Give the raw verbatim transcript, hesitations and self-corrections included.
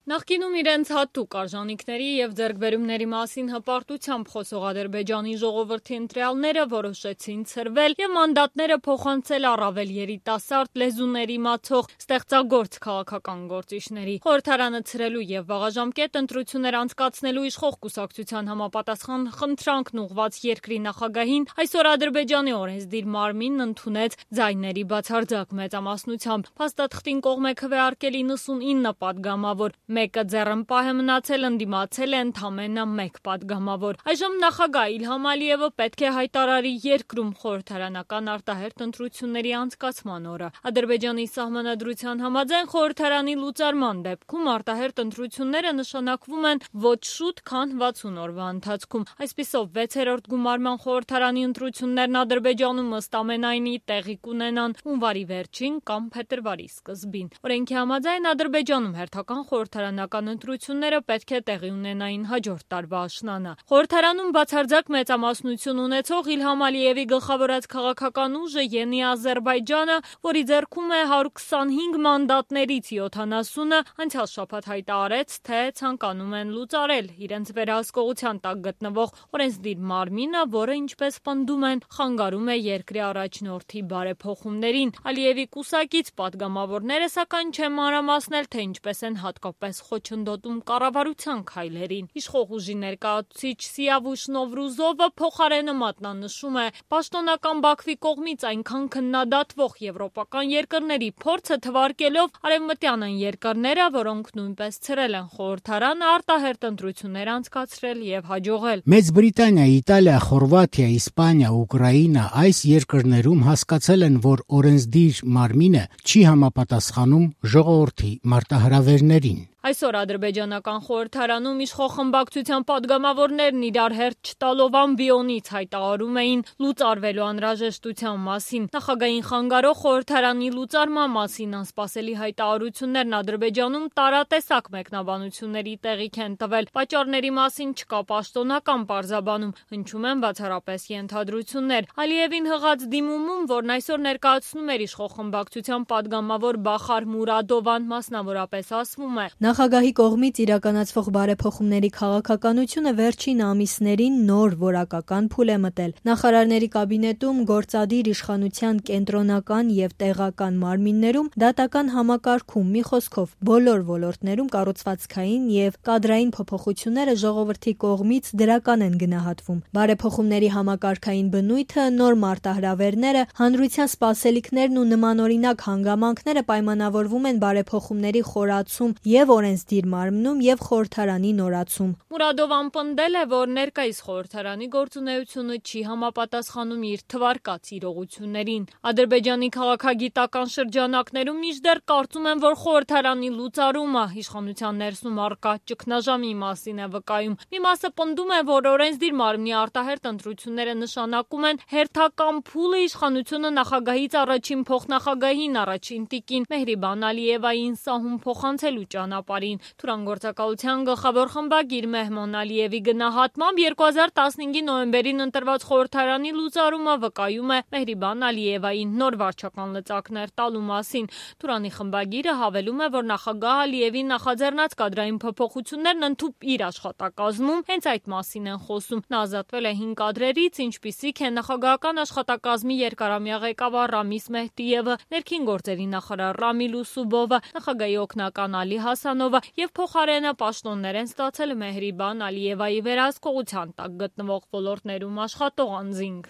Նախկինում իրենց հատուկ արժանինքների և ձեռքբերումների մասին հպարտությամբ խոսող Ադրբեջանի ժողովրդի ընտրյալները որոշեցին ցրվել և մանդատները փոխանցել առավել երիտասարդ լեզուներ իմացող ստեղծագործ քաղաքական գործիչների։ Խորհրդարանը ցրելու և վաղաժամկետ ընտրություններ անցկացնելու իշխող կուսակցության համապատասխան խնդրանքն ուղղված երկրի նախագահին այսօր Ադրբեջանի օրենսդիր մարմինն ընդունեց ձայների բացարձակ մեծամասնությամբ։ Փաստաթղթին կողմ է քվեարկել իննսունինը պատգամավոր, մեկը ձեռնպահ է մնացել, ընդդիմացել է ընդամենը մեկ պատգամավոր։ Այժմ նախագահ Իլհամ Ալիևը պետք է հայտարարի երկրում խորհրդարանական արտահերթ ընտրությունների անցկացման օրը։ Ադրբեջանի սահմանադրության համաձայն խորհրդարանի լուծարման դեպքում արտահերթ ընտրությունները նշանակվում են ոչ շուտ, քան վաթսուն օրվա ընթացքում։ Այսպիսով վեցերորդ գումարման խորհրդարանի ընտրություններն Ադրբեջանում ըստ ամենայնի տեղի կունենան հունվարի վերջին կամ փետրվարի սկզբին։ Օրենքի համաձայն Ադրբեջանում հերթական խորհրդարանական ընտրությունները պետք է տեղի ունենային հաջորդ տարվա աշնանը։ Խորհրդարանում բացարձակ մեծամասնություն ունեցող Իլհամ Ալիևի գլխավորած քաղաքական ուժը Ենի Ադրբեջանը, որի ձեռքում է հարյուր քսանհինգ մանդատներից յոթանասունը, անցյալ շաբաթ հայտարարեց, թե ցանկանում են լուծարել իրենց վերահսկողության տակ գտնվող օրենսդիր մարմինը, որը, ինչպես պնդում են, խանգարում է երկրի առաջնորդի բարեփոխումներին։ Ալիևի կուսակից պատգամավորները, սակայն չեն մանրամասնել, թե ինչպես են հատկապես խոչընդոտում կառավարության քայլերին։ Իշխող ուժի ներկայացուցիչ Սիավուշ Նովրուզովը փոխարենը մատնանշում է պաշտոնական Բաքվի կողմից այնքան քննադատվող եվրոպական երկրների փորձը թվարկելով արևմտյան այն երկրները, որոնք նույնպես ցրել են խորհրդարանը, արտահերթ ընտրություններ անցկացրել և հաջողել։ Մեծ Բրիտանիա, Իտալիա, Խորվաթիա, Իսպանիա, Ուկրաինա այս երկրներում հասկացել են, որ օրենսդիր մարմինը չի համապատասխանում ժողովրդի մարտահրավերներին։ Այսօր ադրբեջանական խորհրդարանում իշխող խմբակցության պատգամավորներն իրար հերթ չտալով ամբիոնից հայտարարում էին լուծարվելու անհրաժեշտության մասին։ Նախագահային խանգարող խորհրդարանի լուծարման մասին անսպասելի հայտարարություններն Ադրբեջանում տարատեսակ մեկնաբանությունների տեղիք են տվել։ Պատճառների մասին չկա պաշտոնական պարզաբանում, հնչում են բացառապես ենթադրություններ։ Ալիևին հղած դիմումում, որն այսօր ներկայացնում էր իշխող խմբակցության պատգամավոր Բախար Մուրադովան, մասնավորապես ասվում է. Նախագահի կողմից իրականացվող բարեփոխումների քաղաքականությունը վերջին ամիսներին նոր որակական փուլ է մտել։ Նախարարների կաբինետում գործադիր իշխանության կենտրոնական և տեղական մարմիններում դատական համակարգում, մի խոսքով, բոլոր ոլորտներում կառուցվածքային և կադրային փոփոխությունները ժողովրդի կողմից դրական են գնահատվում։ Բարեփոխումների համակարգային բնույթը, նոր մարտահրավերները, հանրության սպասելիքներն ու նմանօրինակ հանգամանքները պայմանավորվում են բարեփոխումների խորացում և օրենսդիր մարմնում և խորհրդարանի նորացում։ Մուրադովան պնդել է, որ ներկայիս խորհրդարանի գործունեությունը չի համապատասխանում իր թվարկած իրողություններին։ Ադրբեջանի քաղաքագիտական շրջանակներում մինչդեռ կարծում են, որ խորհրդարանի լուծարումը իշխանության ներսում առկա ճգնաժամի մասին է վկայում։ Մի մասը պնդում է, որ օրենսդիր մարմնի արտահերթ ընտրությունները նշանակում են հերթական փուլը իշխանությունը նախագահից առաջին փոխնախագահին, առաջին տիկին Մեհրիբան Ալիևային սահուն փոխանցելու ճանապարհին։ Թուրանգործակալության գլխավոր խմբագիր Մեհմոն Ալիևի գնահատմամբ երկու հազար տասնհինգի նոյեմբերին ընտրված խորհրդարանի լուծարումը վկայում է Մեհրիբան Ալիևային նոր վարչական լծակներ տալու մասին։ Թուրանի խմբագիրը հավելում է, որ նախագահ Ալիևի նախաձեռնած կադրային փոփոխություններն ընդհուպ իր աշխատակազմում հենց այդ մասին են խոսում։ Նա ազատվել է հինգ կադրերից, ինչպիսիք են նախագահական աշխատակազմի երկարամյա ղեկավար Ռամիս Մեհդիևը, ներքին գործերի նախարար Ռամիլ Ուսուբովը, նախագահի օգնական Ալի Հասանովը և փոխարենը պաշտոններ են ստացել Մեհրիբան Ալիևայի վերահսկողության տակ գտնվող ոլորտներում աշխատող անձինք։